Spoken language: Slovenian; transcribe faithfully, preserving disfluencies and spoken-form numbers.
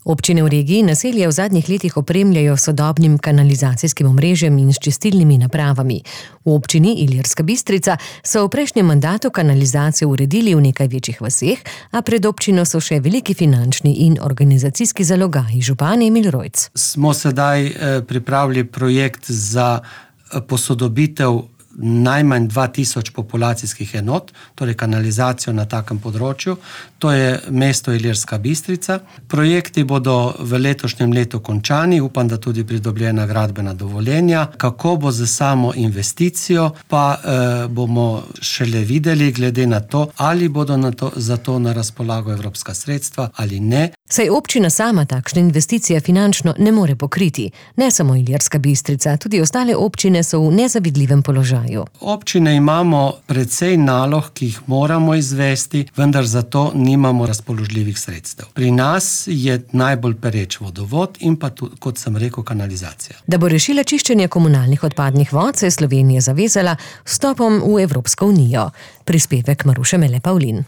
Občine v regiji naselja v zadnjih letih opremljajo s sodobnim kanalizacijskim omrežjem in s čistilnimi napravami. V občini Ilirska Bistrica so v prejšnjem mandatu kanalizacijo uredili v nekaj večjih vaseh, a pred občino so še veliki finančni in organizacijski zalogaji. Župan Emil Rojc. Smo sedaj pripravili projekt za posodobitev najmanj dva tisoč populacijskih enot, torej kanalizacijo na takem področju. To je mesto Ilirska Bistrica. Projekti bodo v letošnjem letu končani, upam, da tudi pridobljena gradbena dovoljenja. Kako bo z samo investicijo, pa eh, bomo šele videli, glede na to, ali bodo na to, za to na razpolago evropska sredstva ali ne. Saj občina sama takšne investicije finančno ne more pokriti. Ne samo Ilirska Bistrica, tudi ostale občine so v nezavidljivem položaju. Občine imamo precej nalog, ki jih moramo izvesti, vendar za to nimamo razpoložljivih sredstev. Pri nas je najbolj pereč vodovod in pa tudi, kot sem rekel, kanalizacija. Da bo rešila čiščenje komunalnih odpadnih vod, se je Slovenija zavezala vstopom v Evropsko unijo. Prispevek Maruše Mele Pavlin.